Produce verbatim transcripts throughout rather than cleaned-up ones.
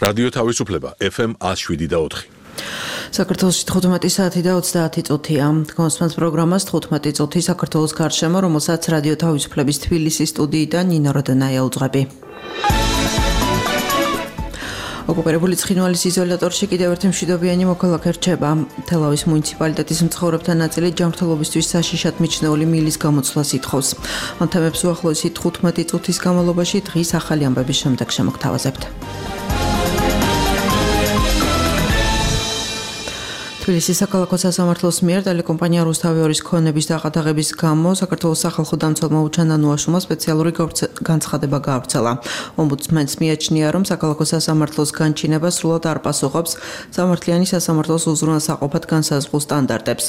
რადიო თავისუფლება ეფ ემ one oh seven და four. საქართველოში თხუთმეტი საათი და ოცდაათი წუთია. გონსმენთ პროგრამას თხუთმეტი წუთი საქართველოს გარშემო, რომელსაც რადიო თავისუფლების თბილისის სტუდიიდან ნინო როდანაია უძღვები. ოკუპირებული ცხინვალის იზოლატორში კიდევ ერთი მშვიდობიანი მოქალაქე რჩება. თელავის მუნიციპალიტეტის მცხოვრებთა ნაწილი ჯანმრთელობისთვის საშიშად მიჩნეული მილის გამოცვლას ითხოვს. ამ თემებს უახლოესი თხუთმეტი წუთის განმავლობაში დღის ახალი ამბების შემდეგ შემოგთავაზებთ. თბილისის საქალაქო სასამართლოს მიერ ტელეკომპანია რუსთავი ორის ქონების დაყადაღების გამო საქართველოს სახალხო დამცველმა უჩანა ნუაშუმა სპეციალური განცხადება გაავრცელა. ომბუდსმენს მიაჩნია, რომ საქალაქო სასამართლოს განჩინება სრულად არ პასუხობს სამართლიანი სასამართლოს უზრუნველსაყოფად განსაზღვრულ სტანდარტებს.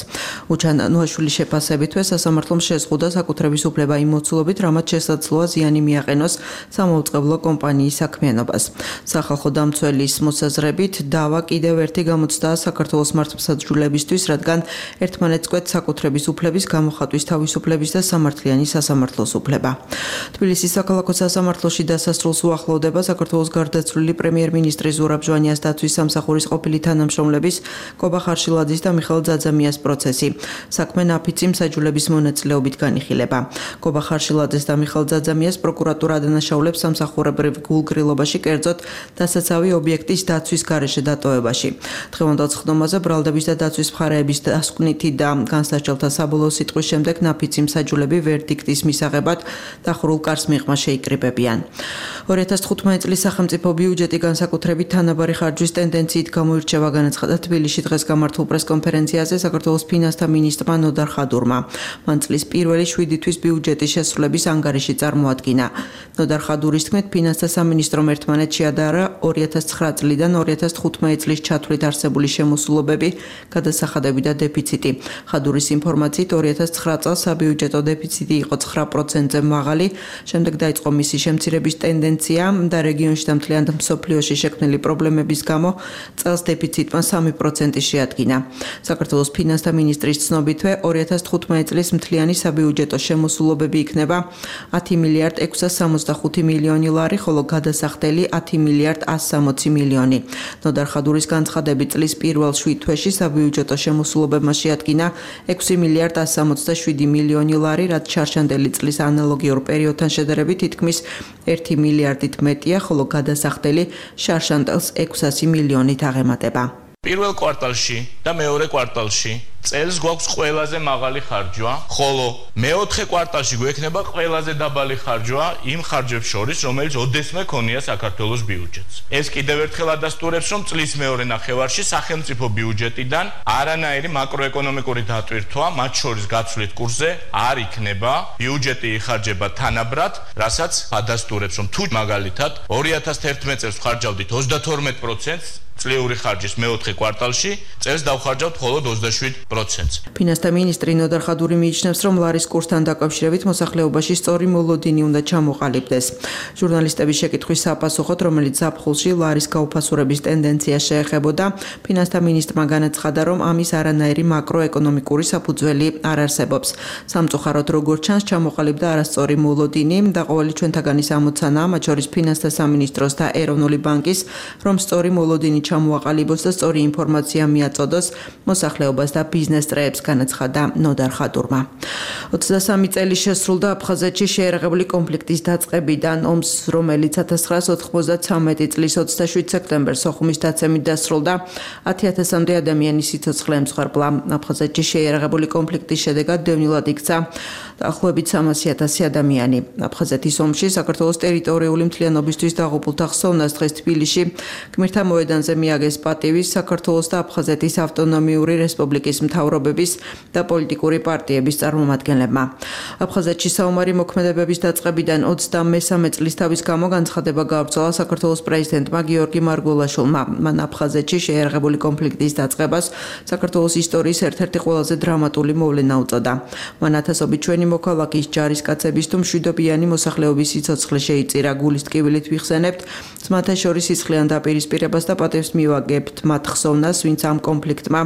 უჩანა ნუაშვილის შეფასებითვე სასამართლომ შეზღუდა საკუთრების უფლება იმ მოცულობით, რამაც შესაძლოა ზიანი მიაყენოს სამაუწყებლო კომპანიის საქმიანობას. სახალხო დამცველის მოსაზრებით დავა კიდევ ერთი გამოცდაა საქართველოს მართლმსაჯულებისთვის, რადგან ერთმანეთს კვეთს საკუთრების უფლების, გამოხატვის თავისუფლების და სამართლიანი სასამართლოს უფლება. თბილისის საქალაქო სასამართლოში დასასრულს უახლოვდება საქართველოს გარდაცვლილი პრემიერ-მინისტრის ზურაბ ჟვანიას დაცვის სამსახურის ყოფილი თანამშრომლების კობა ხარშილაძის და მიხეილ ძაძამიას პროცესი. საქმე ნაფიცი მსაჯულების მონაწილეობით განიხილება. კობა ხარშილაძეს და მიხეილ ძაძამიას პროკურატურა ადანაშაულებს სამსახურებრივ გულგრილობაში, კერძოდ დასაცავი ობიექტის დაცვის გარეშე დატოვებაში. დღევანდელ ხდომაზე ბრალდების და დაცვის მხარეების დასკვნითი და განსარჩელთა საბოლოო სიტყვის შემდეგ ნაფიცი მსაჯულები ვერდიქტის მისაღებად დახურულ კარს მიღმა შეიკრიბებიან. ორი ათას თხუთმეტი წლის სახელმწიფო ბიუჯეტი განსაკუთრებით თანაბარი ხარჯვის ტენდენციით გამოირჩევა, განაცხადა თბილისში დღეს გამართულ პრესკონფერენციაზე საქართველოს ფინანსთა მინისტრმა ნოდარ ხადურმა. მან წლის პირველი შვიდი თვის ბიუჯეტის შესრულების ანგარიში წარმოადგინა. ნოდარ ხადურის თქმით, ფინანსთა სამინისტრომ ერთმანეთს შეადარა ორი ათას ცხრა წლიდან ორი ათას თხუთმეტი წლის ჩათვლით არსებული შემოსულობები, გადასახადები და დეფიციტი. ხადურის ინფორმაციით ორი ათას ცხრა წელს საბიუჯეტო დეფიციტი იყო ცხრა პროცენტზე მაღალი, შემდეგ დაიწყო მისი შემცირების ტენდენცია და რეგიონში და მთლიან მსოფლიოში შექმნილი პრობლემების გამო წელს დეფიციტმა სამი პროცენტი შეადგინა. საქართველოს ფინანსთა მინისტრის ცნობითვე ორი ათას თხუთმეტი წლის მთლიანი საბიუჯეტო შემოსულობები იქნება ათი მილიარდ ექვსას სამოცდახუთი მილიონი ლარი, ხოლო გადასახდელი ათი მილიარდ ასს სამოცი მილიონი. ნოდარ ხადურის განცხადებით წლის პირველ შვიდ თვეში საბიუჯეტო შემოსულობებმა შეადგინა ექვსი მილიარდ ასს სამოცდაშვიდი მილიონი ლარი, რაც ჩარჩანდელი წლის ანალოგიურ პერიოდთან შედარებით თითქმის ერთი მილიარდით მეტია, ხოლო გადასახდელი შარშანდელს ექვსასი მილიონით აღემატება. პირველ კვარტალში და მეორე კვარტალში წელს გვაქვს ყველაზე მაღალი ხარჯვა, ხოლო მეოთხე კვარტალში გვექნება ყველაზე დაბალი ხარჯვა იმ ხარჯებს შორის, რომელიც ოდესმე ქონია საქართველოს ბიუჯეტს. ეს კიდევ ერთხელ ადასტურებს, რომ წლის მეორე ნახევარში სახელმწიფო ბიუჯეტიდან არანაირი მაკროეკონომიკური დატვირთვა, მათ შორის გაცვლით კურსზე, არ იქნება. ბიუჯეტი იხარჯება თანაბრად, რასაც ადასტურებს, რომ თუ მაგალითად ორი ათას თერთმეტი წელს ვხარჯავდით ოცდათორმეტ პროცენტს, წლიური ხარჯის მეოთხე კვარტალში წელს დავხარჯავთ მხოლოდ ოცდაშვიდ პროცენტს. ფინანსთა მინისტრი ნოდარ ხადური მიიჩნევს, რომ ლარის კურსთან დაკავშირებით მოსახლეობაში სწორი მოლოდინი უნდა ჩამოყალიბდეს. ჟურნალისტების შეკითხვის საპასუხოდ, რომელიც ზაფხულში ლარის გაუფასურების ტენდენცია შეეხებოდა, ფინანსთა მინისტრმა განაცხადა, რომ ამის არანაირი მაკროეკონომიკური საფუძველი არ არსებობს. სამწუხაროდ, როგორც ჩანს, ჩამოყალიბდა არასწორი მოლოდინი და ყოველი ჩვენთაგანის ამოცანაა, მათ შორის ფინანსთა სამინისტროს და ეროვნული ბანკის, რომ სწორი მოლოდინი ჩამოაყალიბოს და სწორი ინფორმაცია მიაწოდოს მოსახლეობას და ბიზნეს წრეებს, განაცხადა ნოდარ ხადურმა. ოცდასამი წელი შესრულდა აფხაზეთში შეერაღებული კონფლიქტის დაწყებიდან, ომს, რომელიც ათას ცხრაას ოთხმოცდათვრამეტი წლის ოცდაშვიდ სექტემბერს სოხუმის დაცემით დასრულდა, ათი ათასამდე ადამიანის სიცოცხლე ემსხვერპლა. აფხაზეთში შეერაღებული კონფლიქტის შედეგად დევნილად იქცა დაახლოებით სამასი ათასი ადამიანი. აფხაზეთის ომში საქართველოს ტერიტორიული მთლიანობისთვის დაღუპულთა ხსოვნას დღეს თბილისში გმირთა მოედანზე მიაგეს პატივი საქართველოს და აფხაზეთის ავტონომიური რესპუბლიკის მთავრობების და პოლიტიკური პარტიების წარმომადგენლებმა. აფხაზეთში საომარი მოქმედებების დაწყებიდან ოცდამესამე წლის თავის გამო განცხადება გაავრცელა საქართველოს პრეზიდენტმა გიორგი მარგველაშვილმა. მან აფხაზეთში შეერაღებული კონფლიქტის დაწყებას საქართველოს ისტორიის ერთ-ერთი ყველაზე დრამატული მოვლენა უწოდა. მან ათასობით ჩვენი მშვიდობიანი მოქალაქის ჯარისკაცების თუ მშვიდობიანი მოსახლეობის სიცოცხლე შეიწირა. გულის ტკივილით ვიხსენებთ მათთა შორის სისხლიან დაპირისპირებას და პატევს მივაგებთ მათ ხსოვნას, ვინც ამ კონფლიქტმა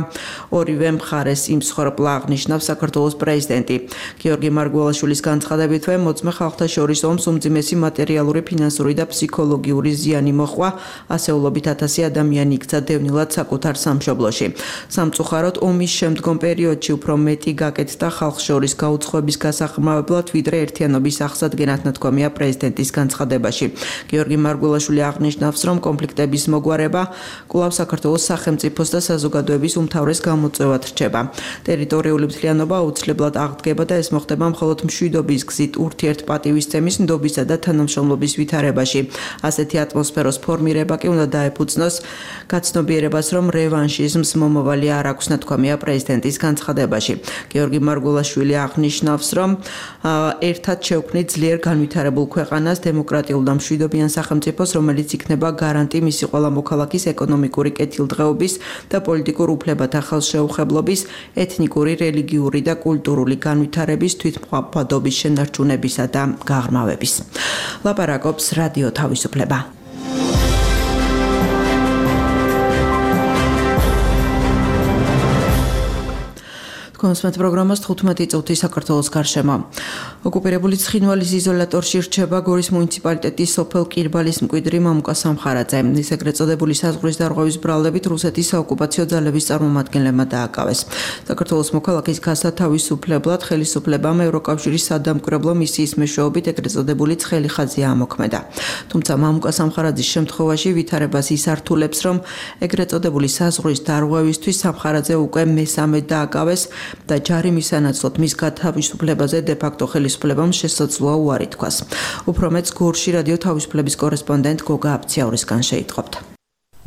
ორივე მხარეს იმსხვრპლა, აღნიშნავს საქართველოს პრეზიდენტი. გიორგი მარგველაშვილის განცხადებითვე მოწმე ხალხთა შორის ომს უმძიმესი მატერიალური, ფინანსური და ფსიქოლოგიური ზიანი მოჰყვა, ასეულობით ათასი ადამიანი იქცა დევნილად საკუთარ სამშობლოში. სამწუხაროდ ომის შემდგომ პერიოდში უფრო მეტი გაკეთდა ხალხს შორის გაუცხოების გასახმარებლად, ვიდრე ერთიანობის აღსადგენად ნათქვამია პრეზიდენტის განცხადებაში. გიორგი მარგველაშვილი აღნიშნავს, რომ კონფლიქტების მოგვარება კვლავ საქართველოს სახელმწიფოს და საზოგადოების უმთავრეს გამოწვევად რჩება. ტერიტორიული მთლიანობა აუცილებლად აღდგება და ეს მოხდება მხოლოდ მშვიდობის გზით, ურთიერთპატივისცემის, ნდობისა და თანამშრომლობის ვითარებაში. ასეთი ატმოსფეროს ფორმირება კი უნდა დაეფუძნოს გაცნობიერებას, რომ რევანშიზმს მომავალი არ აქვს, ნათქვამია პრეზიდენტის განცხადებაში. გიორგი მარგველაშვილი აღნიშნავს, რომ ერთად შევქმნით ძლიერ განვითარებულ ქვეყანას, დემოკრატიულ და მშვიდობიან სახელმწიფოს, რომელიც იქნება გარანტი მისი ყველა მოქალაქის ეკონომიკური კეთილდღეობის და პოლიტიკურ უფლებათა ხელშეუხებლობის, ეთნიკური, რელიგიური და კულტურული განვითარების, თვითმყოფადობის შენარჩუნებისა და გაღრმავების. ლაპარაკობს რადიო თავისუფლება. კონსმეთ პროგრამას თხუთმეტი წუთი საქართველოს გარშემო. ოკუპირებული ცხინვალის იზოლატორში რჩება გორის მუნიციპალიტეტის სოფელ კირბალის მკვიდრი მამუკა სამხარაძე. ის ეგრეთ წოდებული საზღვრის დარღვევის ბრალდებით რუსეთის საოკუპაციო ძალების წარმომადგენლებმა დააკავეს. საქართველოს მოქალაქის გასა თავისუფლებლად ხელისუფლებამ ევროკავშირის სადამკვირვებლო მისიის მეშვეობით ეგრეთ წოდებული ცხელი ხაზი ამოქმედა. თუმცა მამუკა სამხარაძის შემთხვევაში ვითარებას ის ართულებს, რომ ეგრეთ წოდებული საზღვრის დარღვევისთვის სამხარაძე უკვე მესამედ დააკავეს და ჯარი მისანაცვლოდ მის გათავისუფლებაზე დე-ფაქტო ხელისუფლებამ შესაძლოა უარი თქვას. უფრო მეც გორში რადიო თავისუფლების კორესპონდენტ გოგა აფციაურისგან შეიტყობთ.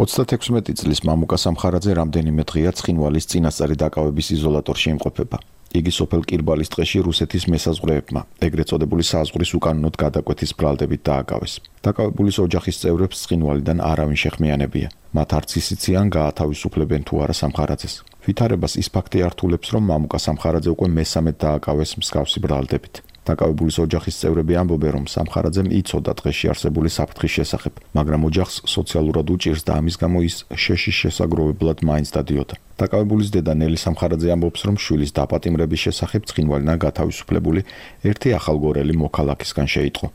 ოცდათექვსმეტი წლის მამუკა სამხარაძე რამდენიმე დღეა ცხინვალის წინასწარი დაკავების იზოლატორში იმყოფება. იგი სოფელ კირბალის ტყეში რუსეთის მესაზღვრეებმა, ეგრეთ წოდებული საზღვრის უკანონოდ გადაკვეთის ბრალდებით დააკავეს. დაკავებულის ოჯახის წევრებს ცხინვალიდან არავინ შეხმიანებია. მათ არც ისიციან გაათავისუფლებენ თუ არა სამხარაძეს. ვითარებას ის ფაქტი ართულებს, რომ მამუკა სამხარაძე უკვე მესამედ დააკავეს მსგავსი ბრალდებით. დაკავებულის ოჯახის წევრები ამბობენ, რომ სამხარაძემ იცოდა ტყეში არსებული საფრთხის შესახებ, მაგრამ ოჯახს სოციალურად უჭირს და ამის გამო ის შეშის შესაგროვებლად მაინც დადიოდა. დაკავებულის დედა ნელი სამხარაძე ამბობს, რომ შვილის დაპატიმრების შესახებ ცხინვალიდან გათავისუფლებული ერთი ახალგორელი მოქალაქისგან შეიტყო.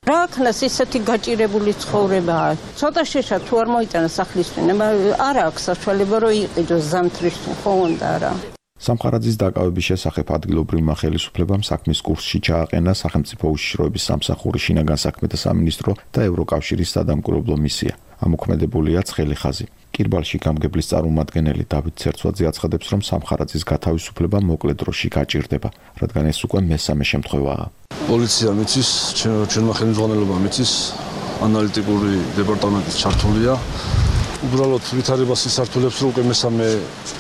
რა ქნას ისეთი გაჭირებული ცხოვრებაა. ცოტა შეშა თუ არ მოიტანა სახლის წინება, არ აქვს საშუალება რომ იყიდოს ზამთრის ხო უნდა რა. სამხარაძის დაკავების შესახებ ადგილობრივმა ხელისუფლებამ საქმის კურსში ჩააყენა სახელმწიფო უშიშროების სამსახური, შინაგან საქმეთა სამინისტრო და ევროკავშირის სადამკვირვებლო მისია. ამოქმედებულია ცხელი ხაზი. კირბალში გამგებლის წარმომადგენელი დავით ცერცვაძე აცხადებს, რომ სამხარაძის გათავისუფლება მოკლე დროში გაჭირდება, რადგან ეს უკვე მესამე შემთხვევაა. პოლიცია მიცის, ჩვენმა ხელმძღვანელობამ მიცის, ანალიტიკური დეპარტამენტის ჩართულია. უბრალოდ ვითარებას ის ართულებს, რომ უკვე მესამე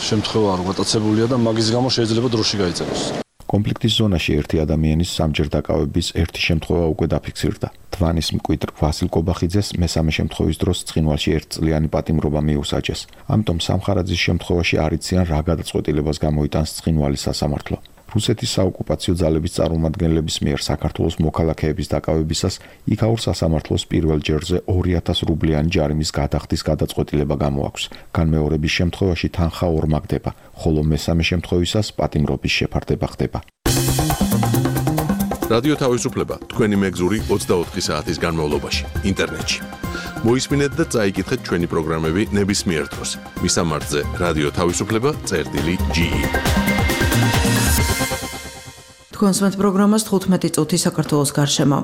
შემთხვევაა რომ გატაცებულია და მაგის გამო შეიძლება დროში გაიწეროს. კონფლიქტის ზონაში ერთი ადამიანის სამჯერ დაკავების ერთი შემთხვევა უკვე დაფიქსირდა. თვანის მკვიდრ ვასილ კობახიძეს მესამე შემთხვევის დროს ცხინვალში ერთწლიანი პატიმრობა მიუსაჯეს. ამიტომ სამხარაძის შემთხვევაში არ იციან რა გადაწყვეტილებას გამოიტანს ცხინვალის სასამართლო. რუსეთის საოკუპაციო ძალების წარმომადგენლების მიერ საქართველოს მოქალაქეების დაკავებისას იქაურ სასამართლოს პირველ ჯერზე ორი ათას რუბლიანი ჯარიმის გადახდის გადაწყვეტილება გამოაქვს. განმეორების შემთხვევაში თანხა ორმაგდება, ხოლო მესამე შემთხვევისას პატიმრობის შეფარდება ხდება. რადიო თავისუფლება თქვენი მეგზური ოცდაოთხი საათის განმავლობაში ინტერნეტში. მოისმინეთ და წაიკითხეთ ჩვენი პროგრამები ნებისმიერ დროს. მისამართზე რადიო თავისუფლება წერტილი ჯი ი. კონსმეთ პროგრამას თხუთმეტი წუთი საქართველოს გარშემო.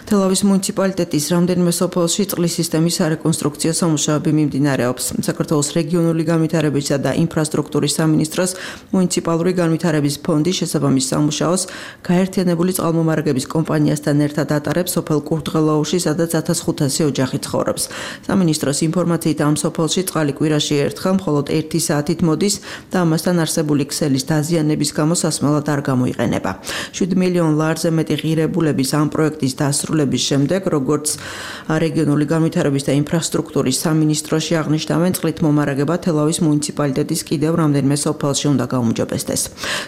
თელავის მუნიციპალიტეტის რამდენიმე სოფელში წყლის სისტემის სარეკონსტრუქციო სამუშაოები მიმდინარეობს. საქართველოს რეგიონული განვითარებისა და ინფრასტრუქტურის სამინისტროს მუნიციპალური განვითარების ფონდი შესაბამის სამუშაოს გაერთიანებული წყალმომარაგების კომპანიასთან ერთად ატარებს სოფელ კურდღელაუში, სადაც ათას ხუთასი ოჯახი ცხოვრობს. სამინისტროს ინფორმაციით ამ სოფელში წყალი კვირაში ერთხელ მხოლოდ ერთი საათით მოდის და ამასთან არსებული ქსელის დაზიანების გამო სასმელად არ გამოიყენება. შვიდ მილიონ ლარზე მეტი ღირებულების ამ პროექტის დასრულების შემდეგ, როგორც რეგიონული განვითარების და ინფრასტრუქტურის სამინისტროში აღნიშნავენ, წყლით მომარაგება თელავის მუნიციპალიტეტის კიდევ რამდენიმე სოფელში უნდა გაუმჯობესდეს.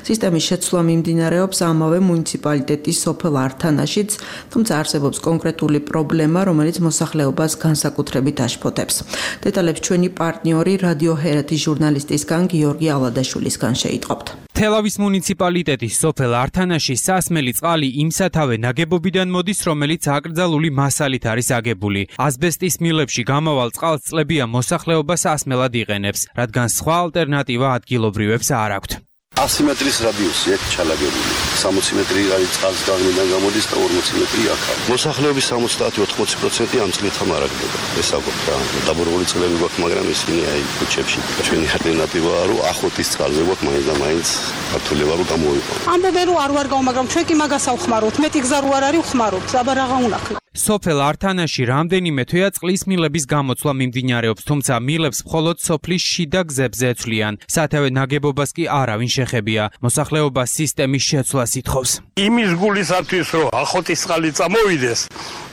სისტემის შეცვლა მიმდინარეობს ამავე მუნიციპალიტეტის სოფელ ართანაშიც, თუმცა არსებობს კონკრეტული პრობლემა, რომელიც მოსახლეობას განსაკუთრებით აშფოთებს. დეტალებს ჩვენი პარტნიორი რადიო ჰერეთის ჟურნალისტისგან გიორგი ალადაშვილისგან შეიტყობთ. თელავის მუნიციპალიტეტის სოფელ ართანაში სასმელი წყალი იმ სათავე ნაგებობიდან მოდის, რომელიც აკრძალული მასალით არის აგებული. ასბესტის მილებში გამავალ წყალს წლებია მოსახლეობა სასმელად იყენებს, რადგან სხვა ალტერნატივა ადგილობრივებს არ აქვთ. ასი მეტრის რადიუსი აქ ჩალაგებული. სამოცი მეტრი არის წყალს გაღმიდან გამოდის და ორმოცი მეტრი აქ არის. მოსახლეობის სამოცდაათი ოცდაოთხ პროცენტი ამ წყლით ამარაგდება. ეს აკვეთ რა. დაბურებული წყლები გვაქვს, მაგრამ ისინი აი ქუჩებში. ჩვენი ალტერნატივაა, რომ ახოტის წყალზე გვაქვს მაინც და მაინც ქართულება რომ გამოვიყო. ამბობენ რომ არ ვარ გაუ, მაგრამ ჩვენ კი მაგას ავხმაროთ. მეტი გზა რო არ არის ვხმარობთ. აბა რაღა უნახავთ. სოფელ ართანაში რამდენიმე თვეა წყლის მილების გამოცვლა მიმდინარეობს, თუმცა მილებს მხოლოდ სოფლის შიდა გზებზე ეცვლიან. სათავე ნაგებობას კი არავინ შეხებია. მოსახლეობა სისტემის შეცვლას ითხოვს. იმის გულისათვის რომ ახოტის წყალი წამოვიდეს,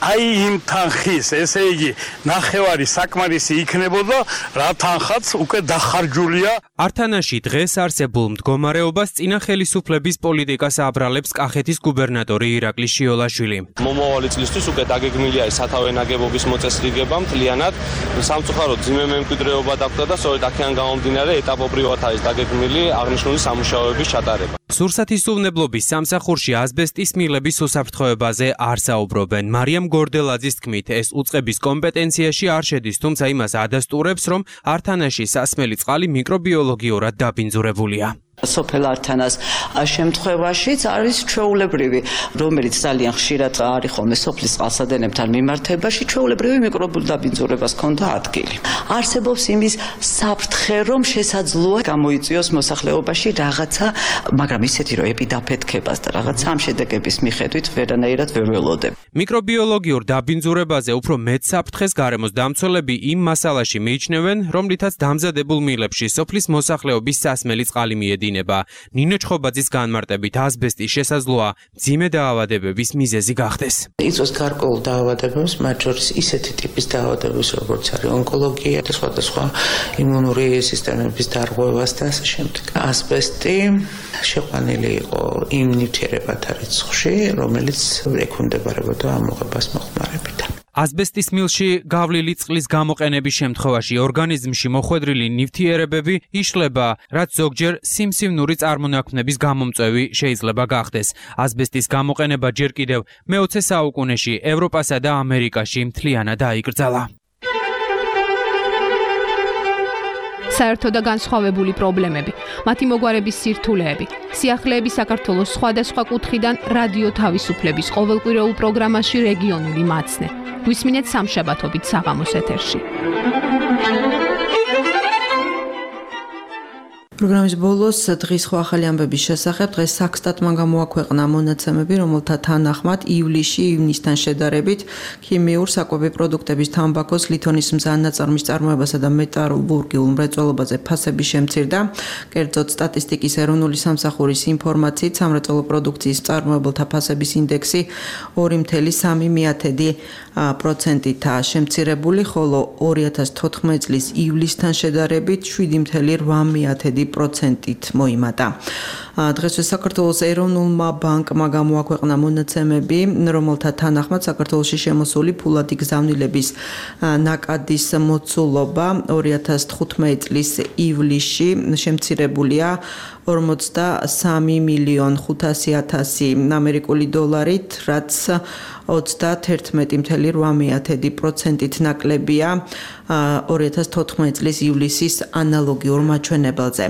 აი იმ თანხის, ესე იგი, ნახევარი საკმარისი იქნებოდა, რა თანხაც უკვე დახარჯულია. ართანაში დღეს არსებულ მდგომარეობას წინა ხელისუფლების პოლიტიკას აბრალებს კახეთის გუბერნატორი ირაკლი შიოლაშვილი. მომავალი წლისთვის უკვე დაგეგმილია სათავე ნაგებობის მოწესრიგება მთლიანად. სამწუხაროდ ძიმე მემკვიდრეობა დაგვდა და სწორედ აქედან გამომდინარე ეტაპობრივად არის დაგეგმილი აღნიშნული სამუშაოების ჩატარება. სურსათის უვნებლობის სამსახურში ასბესტის მილების უსაფრთხოებაზე არ საუბრობენ. მარიამ გორდელაძის თქმით, ეს უწყების კომპეტენციაში არ შედის, თუმცა იმას ადასტურებს, რომ ართანაში სასმელი წყალი მიკრობიოლოგიურად დაბინძურებულია. სოფელ ართანას შემთხვევაშიც არის ჩვეულებრივი, რომელიც ძალიან ხშირად არის ხოლმე სოფლის წყალსადენებთან მიმართებაში, ჩვეულებრივი მიკრობულ დაბინძურებას ჰქონდა ადგილი. არსებობს იმის საფრთხე, რომ შესაძლოა გამოიწვიოს მოსახლეობაში რაღაცა, მაგრამ ისეთი, რომ ეპიდაფეთქებას და რაღაცა ამ შედეგების მიხედვით ვერანაირად ვერ ველოდებ. მიკრობიოლოგიურ დაბინძურებაზე უფრო მეტ საფრთხეს გარემოს დამცველები იმ მასალაში მიიჩნევენ, რომლითაც დამზადებულ მილებში სოფლის მოსახლეობის სასმელი წყალი მიედინება. ნინო ჩხობაძის განმარტებით ასბესტი შესაძლოა მძიმე დაავადებების მიზეზი გახდეს. იწვევს გარკვეულ დაავადებებს, მათ შორის ისეთი ტიპის დაავადებებს, როგორც არის ონკოლოგია და სხვადასხვა იმუნური სისტემების დარღვევას და ასე შემდეგ. ასბესტი შეყვანილი იყო იმ ნივთიერებათა რიცხვში, რომელიც ექვემდებარებოდა ამოღებას მოხმარებიდან. ასბესტის მილში გავლილი წყლის გამოყენების შემთხვევაში ორგანიზმში მოხვედრილი ნივთიერებები იშლება, რაც ზოგჯერ სიმსივნური წარმონაქმნების გამომწვევი შეიძლება გახდეს. ასბესტის გამოყენება ჯერ კიდევ მეოცე საუკუნეში ევროპასა და ამერიკაში მთლიანად დაიკრძალა. საერთო და განსხვავებული პრობლემები, მათი მოგვარების სირთულეები, სიახლეები საქართველოს სხვადასხვა კუთხიდან რადიო თავისუფლების ყოველკვირეულ პროგრამაში რეგიონული მაცნე. გვისმინეთ სამშაბათობით საღამოს ეთერში. პროგრამის ბოლოს დღის სხვა ახალი ამბების შესახებ დღეს საქსტატმა გამოაქვეყნა მონაცემები, რომელთა თანახმად ივლისში ივნისთან შედარებით ქიმიურ საკვები პროდუქტების თამბაქოს, ლითონის მზადნაწარმის წარმოებასა და მეტალურგიულ მრეწველობაზე ფასები შემცირდა. კერძოდ სტატისტიკის ეროვნული სამსახურის ინფორმაციით სამრეწველო პროდუქციის მწარმოებელთა ფასების ინდექსი ორი მცდელო სამი პროცენტითაა შემცირებული, ხოლო ორი ათას თოთხმეტი წლის ივლისთან შედარებით შვიდი მცდელო რვა პროცენტით მოიმატა. დღესვე საქართველოს ეროვნულმა ბანკმა გამოაქვეყნა მონაცემები, რომელთა თანახმად საქართველოში შემოსული ფულადი გზავნილების ნაკადის მოცულობა ორი ათას თხუთმეტი წლის ივლისში შემცირებულია ორმოცდასამი მილიონი ხუთასი ათასი ამერიკული დოლარით, რაც ოცდაათერთმეტი მცდელო რვა პროცენტით ნაკლებია ორი ათას თოთხმეტი წლის ივლისის ანალოგიურ მაჩვენებელზე.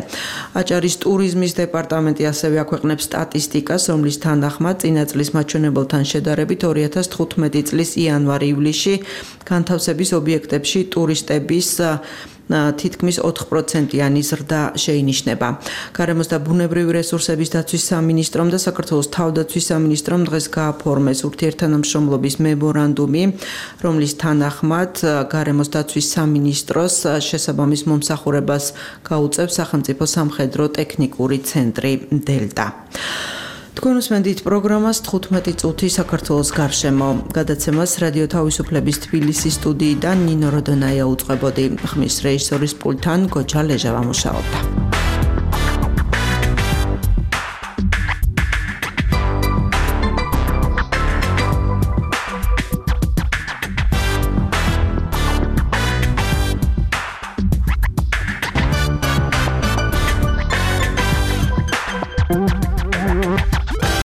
აჭარის ტურიზმის დეპარტამენტი ასევე აქვეყნებს სტატისტიკას, რომლის თანახმად წინა წლის მაჩვენებელთან შედარებით ორი ათას თხუთმეტი წლის იანვარ-ივლისში განთავსების ობიექტებში ტურისტების თითქმის ოთხ პროცენტიანი ზრდა შეინიშნება. გარემოს და ბუნებრივი რესურსების დაცვის სამინისტრომ და საქართველოს თავდაცვის სამინისტრომ დღეს გააფორმეს ურთიერთთანამშრომლობის მემორანდუმი, რომლის თანახმად გარემოს დაცვის სამინისტროს შესაბამის მომსახურებას გაუწევს სახელმწიფო სამხედრო ტექნიკური ცენტრი დელტა. თქვენ უსმენთ პროგრამას თხუთმეტი წუთი საქართველოს გარშემო. გადაცემას რადიო თავისუფლების თბილისის სტუდიიდან ნინო როდონაია უწყებოდი. ხმის რეჟისორის პულტთან გოჩა ლეჟავა მუშაობდა.